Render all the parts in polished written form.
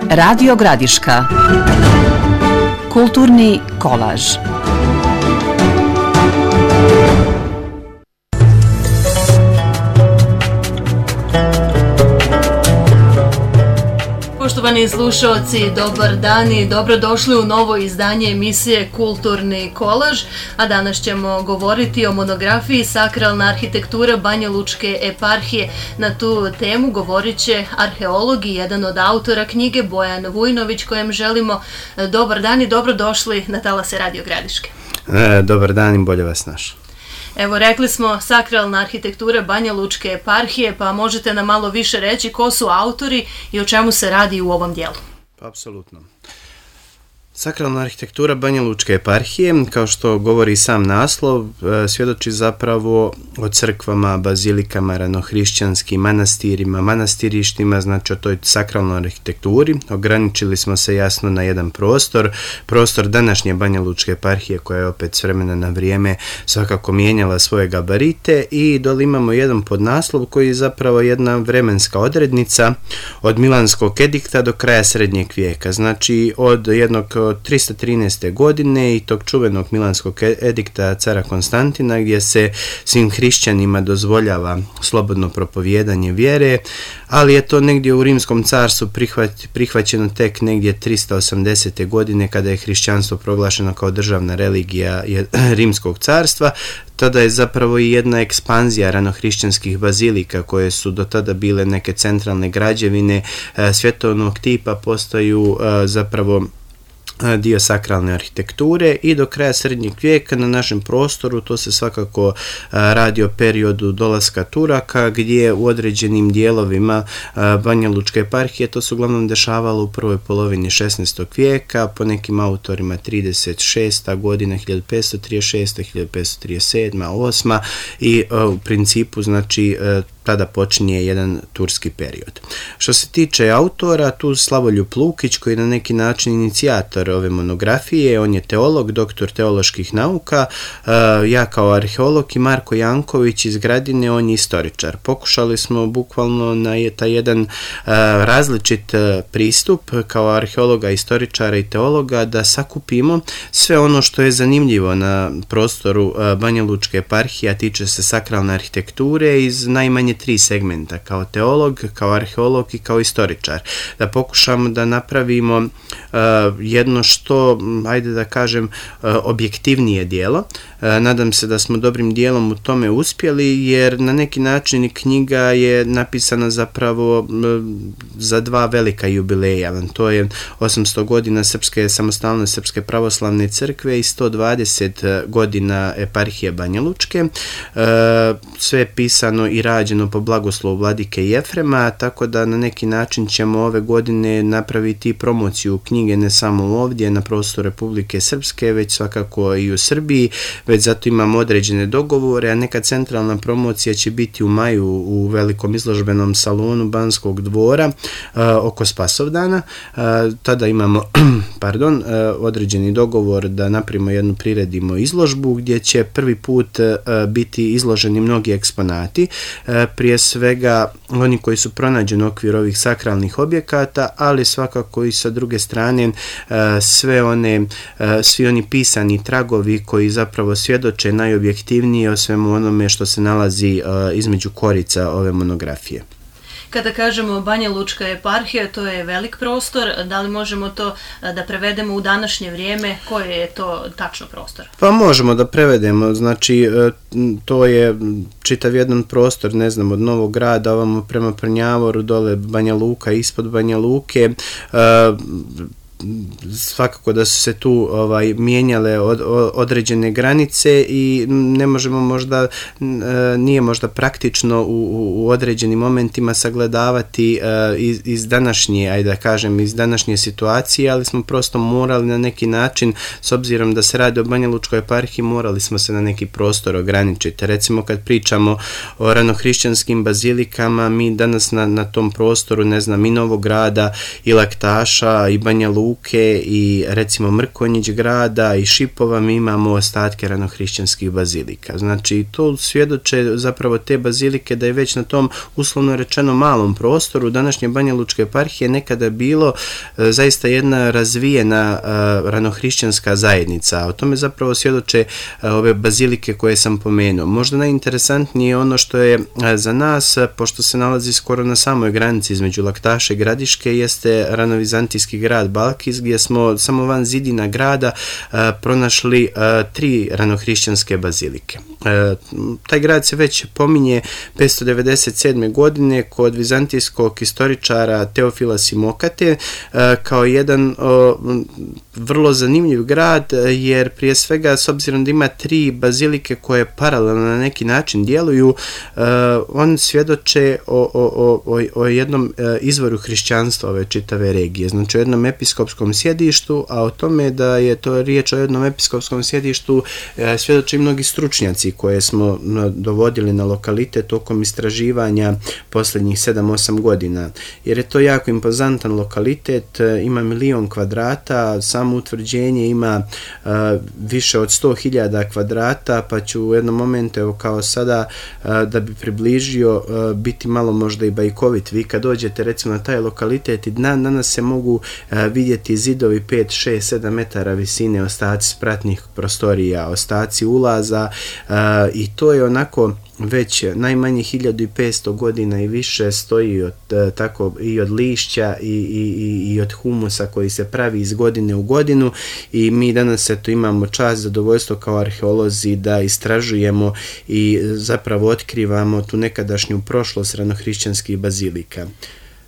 Radio Gradiška. Kulturni kolaž. Poštovani slušalci, dobar dan i dobrodošli u novo izdanje emisije Kulturni kolaž, a danas ćemo govoriti o monografiji Sakralna arhitektura Banjalučke eparhije. Na tu temu govorit će arheolog i jedan od autora knjige Bojan Vujnović, kojem želimo dobar dan i dobrodošli na talase Radio Gradiške. Dobar dan i bolje vas našao. Evo, rekli smo Sakralna arhitektura Banjalučke eparhije, pa možete nam malo više reći ko su autori i o čemu se radi u ovom dijelu? Apsolutno. Sakralna arhitektura Banjalučke eparhije, kao što govori sam naslov, svjedoči zapravo o crkvama, bazilikama, ranohrišćanskim manastirima, manastirištima, znači o toj sakralnoj arhitekturi. Ograničili smo se jasno na jedan prostor današnje Banjalučke eparhije, koja je opet s vremena na vrijeme svakako mijenjala svoje gabarite, i dole imamo jedan podnaslov koji je zapravo jedna vremenska odrednica od Milanskog edikta do kraja srednjeg vijeka, znači od jednog 313. godine i tog čuvenog Milanskog edikta cara Konstantina, gdje se svim hrišćanima dozvoljava slobodno propovijedanje vjere, ali je to negdje u Rimskom carstvu prihvaćeno tek negdje 380. godine, kada je hrišćanstvo proglašeno kao državna religija Rimskog carstva. Tada je zapravo i jedna ekspanzija ranohrišćanskih bazilika, koje su do tada bile neke centralne građevine svjetovnog tipa, postaju zapravo dio sakralne arhitekture, i do kraja srednjeg vijeka na našem prostoru to se svakako radi o periodu dolaska Turaka, gdje u određenim dijelovima Banjalučke eparhije to se uglavnom dešavalo u prvoj polovini 16. vijeka, po nekim autorima 36. godina, 1536. 1537. 8. i u principu znači tada počinje jedan turski period. Što se tiče autora, tu Slavoljub Lukić, koji je na neki način inicijator ove monografije, on je teolog, doktor teoloških nauka, ja kao arheolog i Marko Janković iz Gradine, on je istoričar. Pokušali smo bukvalno na taj jedan različit pristup kao arheologa, istoričara i teologa da sakupimo sve ono što je zanimljivo na prostoru Banjalučke eparhije, a tiče se sakralne arhitekture iz najmanje 3 segmenta, kao teolog, kao arheolog i kao istoričar. Da pokušamo da napravimo jedno što, ajde da kažem, objektivnije dijelo. Nadam se da smo dobrim dijelom u tome uspjeli, jer na neki način knjiga je napisana zapravo za 2 velika jubileja. To je 800 godina Srpske samostalne Srpske pravoslavne crkve i 120 godina eparhije Banjalučke. Sve je pisano i rađeno po blagoslovu vladike Jefrema, tako da na neki način ćemo ove godine napraviti promociju knjige ne samo ovdje na prostoru Republike Srpske, već svakako i u Srbiji, već zato imamo određene dogovore, a neka centralna promocija će biti u maju u velikom izložbenom salonu Banskog dvora oko Spasovdana. Tada imamo određeni dogovor da napravimo jednu priredimo izložbu, gdje će prvi put biti izloženi mnogi eksponati, prije svega oni koji su pronađeni u okviru ovih sakralnih objekata, ali svakako i sa druge strane svi oni pisani tragovi koji zapravo svjedoče najobjektivnije o svemu onome što se nalazi između korica ove monografije. Kada kažemo Banjalučka eparhija, to je velik prostor, da li možemo to da prevedemo u današnje vrijeme, koji je to tačno prostor? Pa možemo da prevedemo, znači to je čitav jedan prostor, ne znam, od Novog Grada ovamo prema Prnjavoru, dole Banja Luka, ispod Banja Luke, svakako da su se tu mijenjale određene granice i ne možemo možda, nije možda praktično u određenim momentima sagledavati iz današnje, ajde da kažem, iz današnje situacije, ali smo prosto morali na neki način, s obzirom da se radi o Banjalučkoj eparhiji, morali smo se na neki prostor ograničiti. Recimo kad pričamo o ranohrišćanskim bazilikama, mi danas na tom prostoru, ne znam, i Novog Grada, i Laktaša, i Banja Luke, luke i recimo Mrkonjić grada i Šipova mi imamo ostatke ranohrišćanskih bazilika. Znači to svjedoče zapravo te bazilike da je već na tom uslovno rečeno malom prostoru današnje Banja Lučke eparhije nekada bilo zaista jedna razvijena ranohrišćanska zajednica. O tome zapravo svjedoče ove bazilike koje sam pomenuo. Možda najinteresantnije je ono što je za nas, pošto se nalazi skoro na samoj granici između Laktaša i Gradiške, jeste ranovizantijski grad Balkis, gdje smo samo van zidina grada pronašli 3 ranohrišćanske bazilike. Taj grad se već pominje 597. godine kod vizantijskog historičara Teofila Simokate kao jedan vrlo zanimljiv grad, jer prije svega s obzirom da ima 3 bazilike koje paralelno na neki način djeluju, on svjedoče o jednom izvoru hrišćanstva ove čitave regije, znači o jednom episkopskom sjedištu, a o tome da je to riječ o jednom episkopskom sjedištu svjedoče i mnogi stručnjaci koje smo dovodili na lokalitet tokom istraživanja posljednjih 7-8 godina, jer je to jako impozantan lokalitet, ima 1.000.000 kvadrata, samo utvrđenje ima više od 100.000 kvadrata, pa ću u jednom momentu, evo kao sada, da bi približio, biti malo možda i bajkovit. Vi kad dođete recimo na taj lokalitet i danas se mogu vidjeti zidovi 5, 6, 7 metara visine, ostaci spratnih prostorija, ostaci ulaza, i to je onako već najmanje 1500 godina i više stoji tako i od lišća i od humusa koji se pravi iz godine u godinu, i mi danas imamo čast, zadovoljstvo kao arheolozi da istražujemo i zapravo otkrivamo tu nekadašnju prošlost ranohrišćanskih bazilika.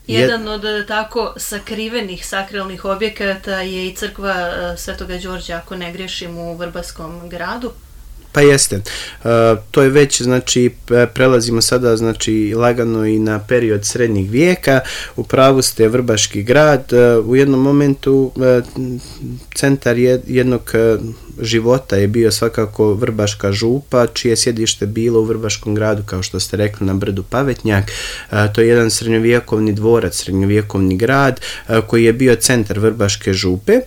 Jedan od tako sakrivenih sakralnih objekata je i crkva Svetoga Đorđa, ako ne grešim, u Vrbaskom gradu. Pa jeste, to je već, znači, prelazimo sada, znači, lagano i na period srednjeg vijeka. U pravu ste, Vrbaški grad, u jednom momentu centar jednog života je bio svakako Vrbaška župa, čije sjedište bilo u Vrbaškom gradu, kao što ste rekli, na brdu Pavetnjak. To je jedan srednjovjekovni dvorac, srednjovjekovni grad koji je bio centar Vrbaške župe,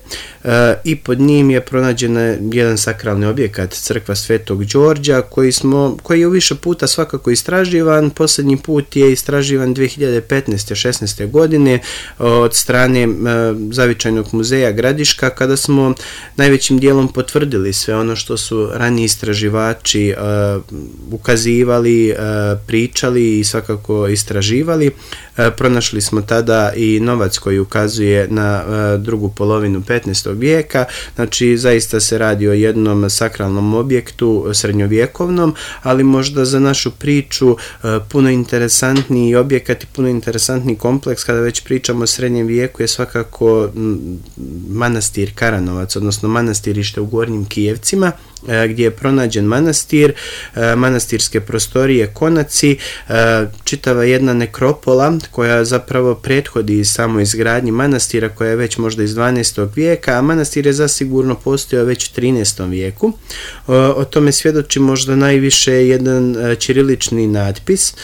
i pod njim je pronađen jedan sakralni objekat, crkva Svetog Đorđa, koji je u više puta svakako istraživan. Posljednji put je istraživan 2015-16. godine od strane Zavičajnog muzeja Gradiška, kada smo najvećim dijelom potvrdili sve ono što su raniji istraživači ukazivali, pričali i svakako istraživali. Pronašli smo tada i novac koji ukazuje na drugu polovinu 15. vijeka, znači zaista se radi o jednom sakralnom objektu srednjovjekovnom, ali možda za našu priču puno interesantniji objekat i puno interesantniji kompleks kada već pričamo o srednjem vijeku je svakako manastir Karanovac, odnosno manastirište u Gornjim Kijevcima, gdje je pronađen manastir, manastirske prostorije, konaci, čitava jedna nekropola koja zapravo prethodi samo izgradnji manastira, koja je već možda iz 12. vijeka, a manastir je zasigurno postojao već u 13. vijeku. O tome svjedoči možda najviše jedan ćirilični natpis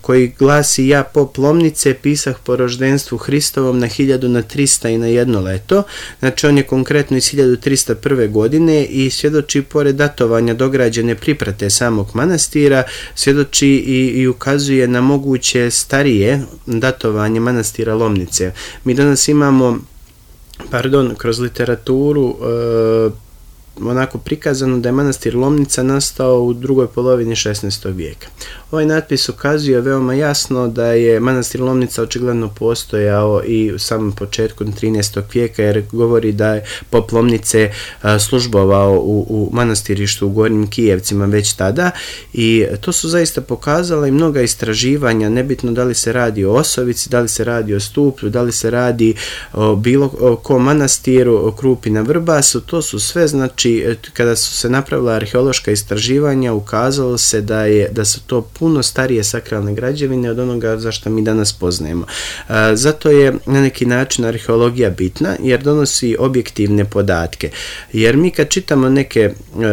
koji glasi: ja pop Lomnice pisah po roždenstvu Hristovom na 1000 na 300 i na jedno leto. Znači on je konkretno iz 1301. godine i svjedoči pored datovanja dograđene priprate samog manastira, svjedoči i ukazuje na moguće starije datovanje manastira Lomnice. Mi danas imamo, kroz literaturu onako prikazano da je manastir Lomnica nastao u drugoj polovini 16. vijeka. Ovaj natpis ukazuje veoma jasno da je manastir Lomnica očigledno postojao i u samom početku 13. vijeka, jer govori da je pop Lomnice službovao u manastirištu u Gornjim Kijevcima već tada, i to su zaista pokazala i mnoga istraživanja, nebitno da li se radi o Osovici, da li se radi o Stuplju, da li se radi o bilo kom manastiru, o Krupi na Vrbasu, to su sve, znači, znači kada su se napravila arheološka istraživanja, ukazalo se da su to puno starije sakralne građevine od onoga za što mi danas poznajemo. Zato je na neki način arheologija bitna, jer donosi objektivne podatke. Jer mi kad čitamo neke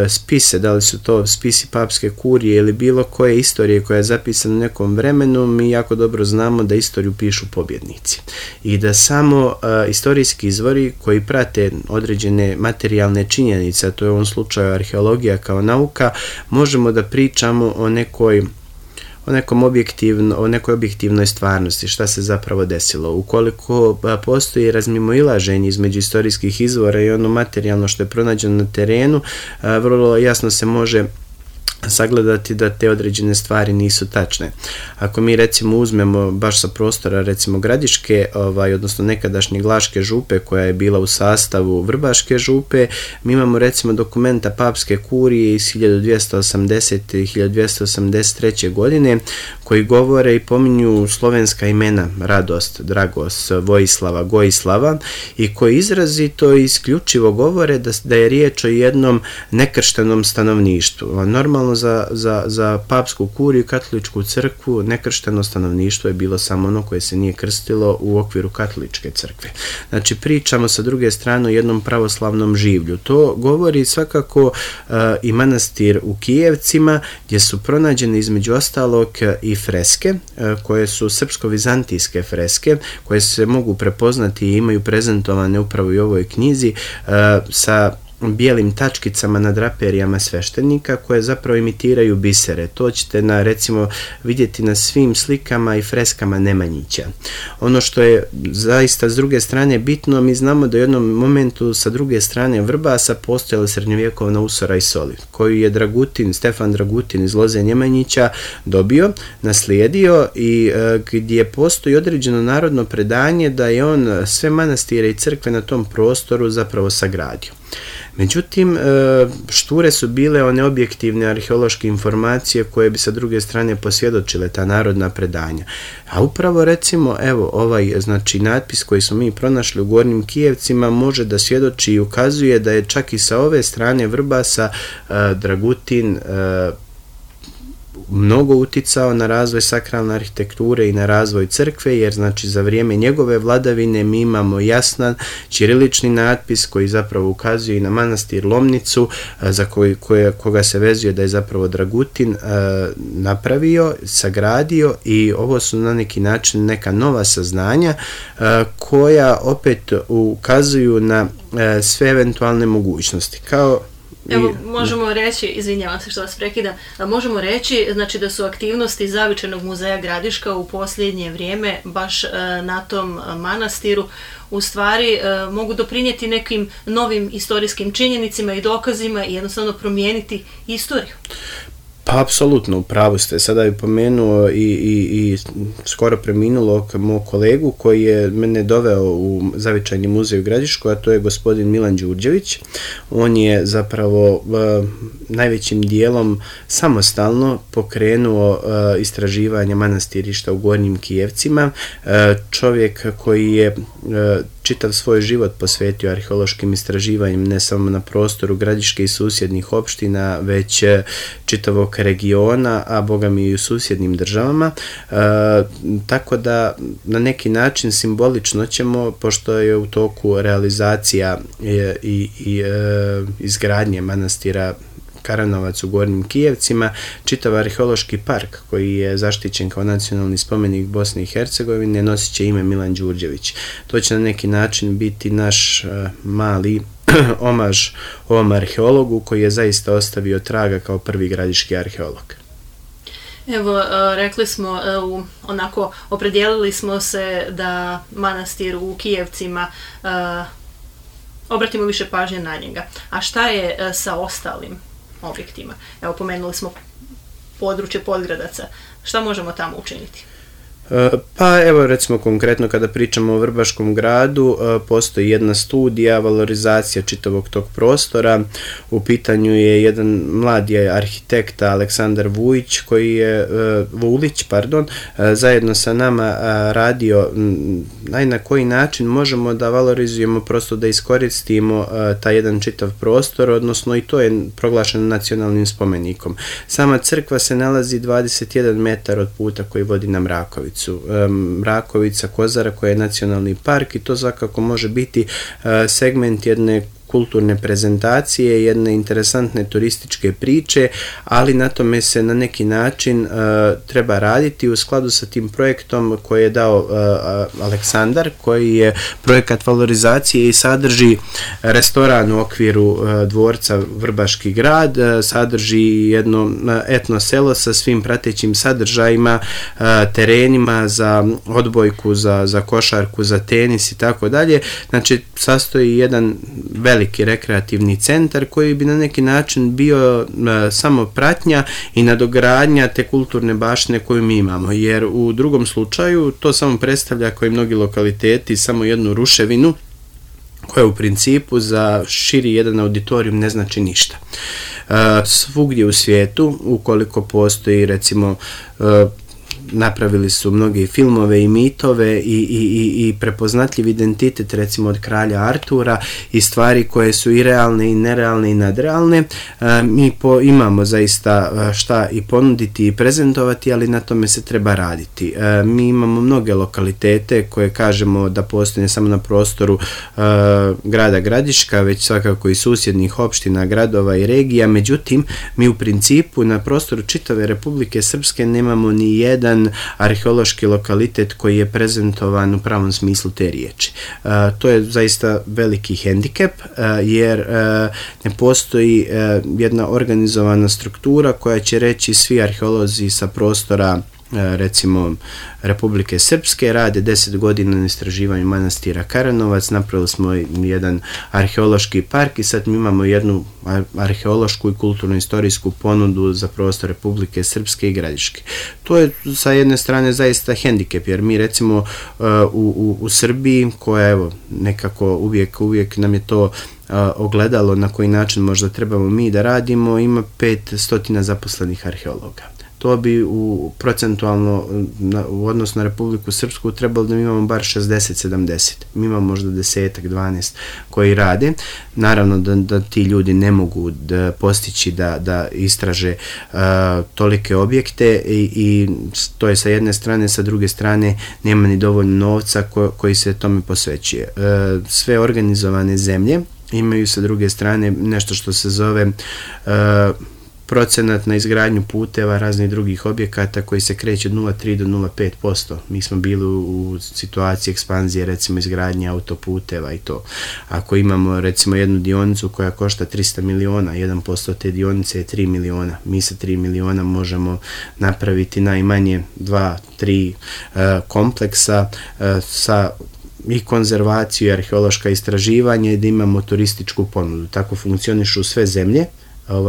spise, da li su to spisi papske kurije ili bilo koje istorije koja je zapisana u nekom vremenu, mi jako dobro znamo da istoriju pišu pobjednici. I da samo istorijski izvori koji prate određene materijalne činjenice, a to je u ovom slučaju arheologija kao nauka, možemo da pričamo o nekoj objektivnoj stvarnosti, šta se zapravo desilo. Ukoliko postoji razmimoilaženje između istorijskih izvora i ono materijalno što je pronađeno na terenu, vrlo jasno se može sagledati da te određene stvari nisu tačne. Ako mi recimo uzmemo baš sa prostora recimo Gradiške, odnosno nekadašnje Glaške župe koja je bila u sastavu Vrbaške župe, mi imamo recimo dokumenta papske kurije iz 1280. i 1283. godine koji govore i pominju slovenska imena Radost, Dragos, Vojislava, Gojislava i koji izrazito i isključivo govore da je riječ o jednom nekrštenom stanovništvu. Normalno za papsku kuriju i katoličku crkvu nekršteno stanovništvo je bilo samo ono koje se nije krstilo u okviru katoličke crkve. Znači pričamo sa druge strane o jednom pravoslavnom življu. To govori svakako i manastir u Kijevcima gdje su pronađene između ostalog i freske koje su srpsko-vizantijske freske koje se mogu prepoznati i imaju prezentovane upravo i u ovoj knjizi sa bijelim tačkicama na draperijama sveštenika koje zapravo imitiraju bisere. To ćete recimo vidjeti na svim slikama i freskama Nemanjića. Ono što je zaista s druge strane bitno, mi znamo da u jednom momentu sa druge strane Vrbasa postojala srednjovjekovna usora i soli, koju je Stefan Dragutin iz Loze Nemanjića dobio, naslijedio i gdje postoji određeno narodno predanje da je on sve manastire i crkve na tom prostoru zapravo sagradio. Međutim, šture su bile one objektivne arheološke informacije koje bi sa druge strane posvjedočile ta narodna predanja. A upravo recimo, znači natpis koji smo mi pronašli u Gornjim Kijevcima može da svjedoči i ukazuje da je čak i sa ove strane Vrbasa Dragutin mnogo uticao na razvoj sakralne arhitekture i na razvoj crkve, jer znači za vrijeme njegove vladavine mi imamo jasan ćirilični natpis koji zapravo ukazuje i na manastir Lomnicu, za koga se vezuje da je zapravo Dragutin napravio, sagradio, i ovo su na neki način neka nova saznanja koja opet ukazuju na sve eventualne mogućnosti. Evo, možemo reći, izvinjavam se što vas prekidam, možemo reći znači da su aktivnosti Zavičajnog muzeja Gradiška u posljednje vrijeme baš na tom manastiru u stvari mogu doprinijeti nekim novim istorijskim činjenicima i dokazima i jednostavno promijeniti istoriju. Pa, apsolutno, u pravu ste. Sada bih pomenuo i skoro preminulog mog kolegu koji je mene doveo u Zavičajni muzej u Gradišku, a to je gospodin Milan Đurđević. On je zapravo najvećim dijelom samostalno pokrenuo istraživanje manastirišta u Gornjim Kijevcima. Čovjek koji je čitav svoj život posvetio arheološkim istraživanjem ne samo na prostoru Gradiške i susjednih opština, već čitavog regiona, a boga mi i u susjednim državama. Tako da na neki način simbolično ćemo, pošto je u toku realizacija i izgradnje manastira Karanovac u Gornjim Kijevcima, čitav arheološki park koji je zaštićen kao nacionalni spomenik Bosne i Hercegovine nosit će ime Milan Đurđević. To će na neki način biti naš mali omaž ovom arheologu koji je zaista ostavio traga kao prvi gradiški arheolog. Evo, rekli smo, onako opredijelili smo se da manastir u Kijevcima obratimo više pažnje na njega. A šta je sa ostalim objektima? Evo, pomenuli smo područje Podgradaca. Šta možemo tamo učiniti? Pa evo recimo konkretno kada pričamo o Vrbaškom gradu, postoji jedna studija, valorizacija čitavog tog prostora. U pitanju je jedan mladi arhitekta Aleksandar Vulić zajedno sa nama radio na koji način možemo da valorizujemo, prosto da iskoristimo taj jedan čitav prostor, odnosno i to je proglašeno nacionalnim spomenikom. Sama crkva se nalazi 21 metar od puta koji vodi na Mrakovicu. Mrakovica, Kozara koja je nacionalni park i to svakako može biti segment jedne kulturne prezentacije, jedne interesantne turističke priče, ali na tome se na neki način treba raditi u skladu sa tim projektom koji je dao Aleksandar, koji je projekat valorizacije i sadrži restoran u okviru dvorca Vrbaški grad, sadrži jedno etno selo sa svim pratećim sadržajima, terenima za odbojku, za košarku, za tenis i tako dalje. Znači, sastoji jedan veliki rekreativni centar koji bi na neki način bio samo pratnja i nadogradnja te kulturne baštine koju mi imamo, jer u drugom slučaju to samo predstavlja, kao i mnogi lokaliteti, samo jednu ruševinu koja u principu za širi jedan auditorijum ne znači ništa. Svugdje u svijetu, ukoliko postoji recimo napravili su mnoge filmove i mitove i prepoznatljiv identitet recimo od kralja Artura i stvari koje su i realne i nerealne i nadrealne. Mi imamo zaista šta i ponuditi i prezentovati, ali na tome se treba raditi. Mi imamo mnoge lokalitete koje kažemo da postoje samo na prostoru grada Gradiška, već svakako i susjednih opština, gradova i regija, međutim mi u principu na prostoru čitave Republike Srpske nemamo ni jedan arheološki lokalitet koji je prezentovan u pravom smislu te riječi. To je zaista veliki hendikep, jer ne postoji jedna organizovana struktura koja će reći svi arheolozi sa prostora recimo Republike Srpske rade 10 godina na istraživanju manastira Karanovac, napravili smo jedan arheološki park i sad mi imamo jednu arheološku i kulturno-istorijsku ponudu za prostor Republike Srpske i Gradiške. To je sa jedne strane zaista hendikep, jer mi recimo u Srbiji, koja evo nekako uvijek nam je to ogledalo na koji način možda trebamo mi da radimo, ima 500 zaposlenih arheologa. To bi procentualno u odnosu na Republiku Srpsku trebalo da mi imamo bar 60-70. Mi imamo možda 10-12 koji rade. Naravno da ti ljudi ne mogu da postići da istraže tolike objekte i to je sa jedne strane, sa druge strane nema ni dovoljno novca koji se tome posvećuje. Sve organizovane zemlje imaju sa druge strane nešto što se zove procenat na izgradnju puteva, raznih drugih objekata koji se kreće od 0,3 do 0,5%. Mi smo bili u situaciji ekspanzije, recimo izgradnje autoputeva i to. Ako imamo recimo jednu dionicu koja košta 300 miliona, 1% te dionice je 3 miliona. Mi sa 3 miliona možemo napraviti najmanje 2-3 kompleksa sa i konzervaciju i arheološka istraživanja i da imamo turističku ponudu. Tako funkcionišu sve zemlje.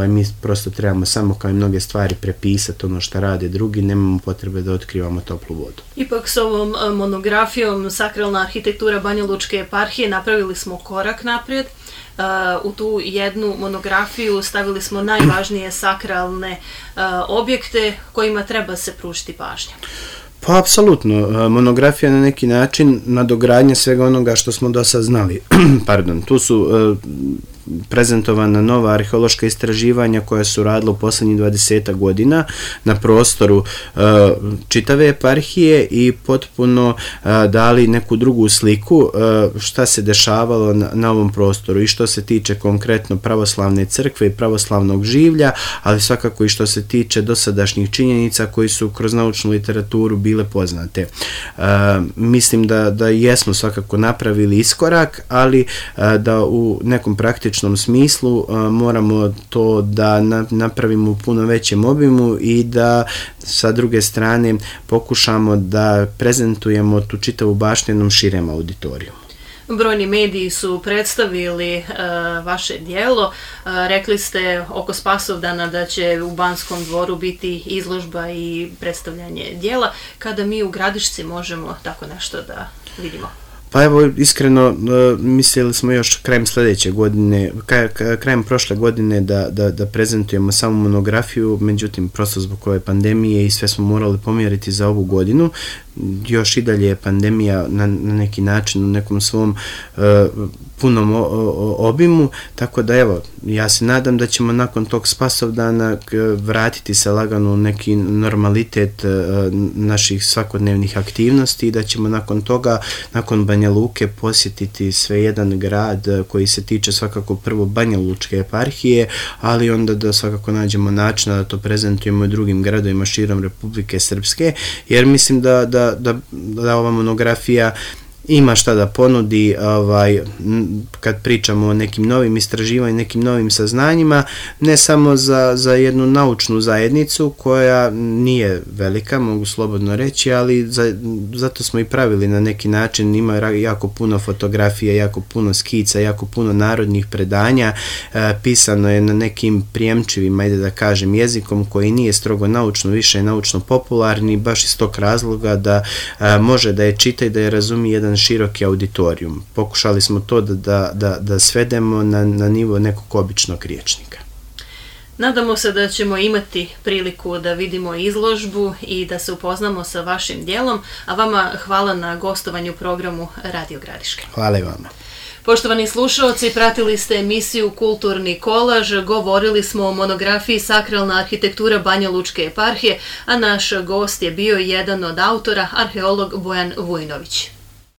Mi prosto trebamo samo kao i mnoge stvari prepisati ono što rade drugi, nemamo potrebe da otkrivamo toplu vodu. Ipak s ovom monografijom Sakralna arhitektura Banjalučke eparhije napravili smo korak naprijed. U tu jednu monografiju stavili smo najvažnije sakralne objekte kojima treba se pružiti pažnja. Pa, apsolutno. Monografija na neki način nadogradnja svega onoga što smo do sad znali. Pardon, tu su prezentovana nova arheološka istraživanja koja su radila u poslednjih 20 godina na prostoru čitave eparhije i potpuno dali neku drugu sliku šta se dešavalo na ovom prostoru i što se tiče konkretno pravoslavne crkve i pravoslavnog življa, ali svakako i što se tiče dosadašnjih činjenica koji su kroz naučnu literaturu bile poznate. Mislim da jesmo svakako napravili iskorak, ali da u nekom praktičnom smislu moramo to da napravimo u puno većem obimu i da sa druge strane pokušamo da prezentujemo tu čitavu baštinu širem auditoriju. Brojni mediji su predstavili vaše dijelo. Rekli ste oko Spasovdana da će u Banskom dvoru biti izložba i predstavljanje dijela. Kada mi u Gradišci možemo tako nešto da vidimo? Pa evo, iskreno, mislili smo još krajem sljedeće godine, krajem prošle godine da prezentujemo samu monografiju, međutim, prosto zbog ove pandemije i sve smo morali pomjeriti za ovu godinu. Još i dalje je pandemija na neki način u nekom svom punom obimu, tako da evo, ja se nadam da ćemo nakon tog Spasovdana vratiti se lagano u neki normalitet naših svakodnevnih aktivnosti i da ćemo nakon toga, nakon Banja Luke, posjetiti sve jedan grad koji se tiče svakako prvo Banja Lučke eparhije, ali onda da svakako nađemo načina da to prezentujemo i drugim gradovima širom Republike Srpske, jer mislim da ova monografija ima šta da ponudi kad pričamo o nekim novim istraživanjima, nekim novim saznanjima, ne samo za jednu naučnu zajednicu koja nije velika, mogu slobodno reći, ali zato smo i pravili na neki način, ima jako puno fotografija, jako puno skica, jako puno narodnih predanja, pisano je na nekim prijemčivim, ajde da kažem, jezikom koji nije strogo naučno, više je naučno popularni, baš iz tog razloga da može da je čita i da je razumije jedan široki auditorijum. Pokušali smo to da svedemo na nivo nekog običnog rječnika. Nadamo se da ćemo imati priliku da vidimo izložbu i da se upoznamo sa vašim dijelom, a vama hvala na gostovanju u programu Radio Gradiška. Hvala i vama. Poštovani slušaoci, pratili ste emisiju Kulturni kolaž, govorili smo o monografiji Sakralna arhitektura Banja Lučke eparhije, a naš gost je bio jedan od autora, arheolog Bojan Vujnović.